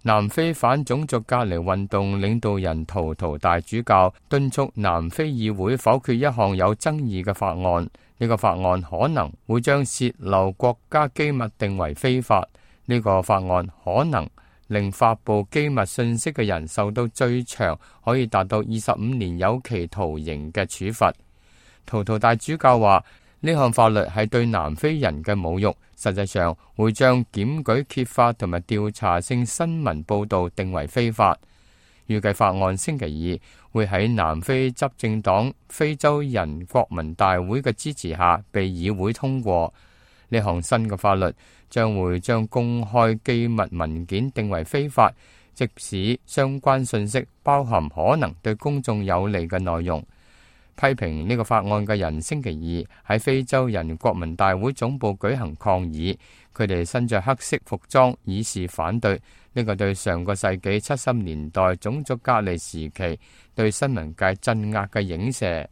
南非反種族隔離運動領導人圖圖大主教敦促南非議會否決一項有爭議嘅法案。呢個法案可能會將洩漏國家機密定為非法。呢個法案可能令發布機密信息嘅人受到最長可以達到25年有期徒刑嘅處罰。圖圖大主教話，呢項法律係對南非人嘅侮辱，實際上會將檢舉揭發同埋調查性新聞報導定為非法。預計法案星期二會喺南非執政黨非洲人國民大會嘅支持下被議會通過。呢項新嘅法律將會將公開機密文件定為非法，即使相關信息包含可能對公眾有利嘅內容。批評呢個法案嘅人星期二喺非洲人國民大會總部舉行抗議，佢哋身着黑色服裝以示反對。呢個對上個世紀70年代種族隔離時期對新聞界鎮壓嘅影射。